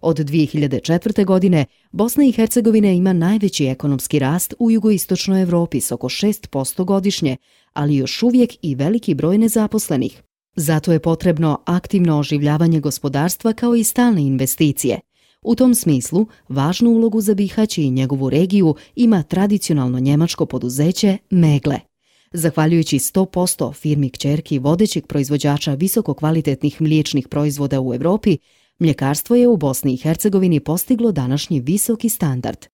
Od 2004. godine Bosna i Hercegovina ima najveći ekonomski rast u jugoistočnoj Evropi s oko 6% godišnje, ali još uvijek i veliki broj nezaposlenih. Zato je potrebno aktivno oživljavanje gospodarstva kao i stalne investicije. U tom smislu, važnu ulogu za Bihać i njegovu regiju ima tradicionalno njemačko poduzeće Megle. Zahvaljujući 100% firmi kćerki vodećeg proizvođača visokokvalitetnih mliječnih proizvoda u Evropi, mljekarstvo je u Bosni i Hercegovini postiglo današnji visoki standard.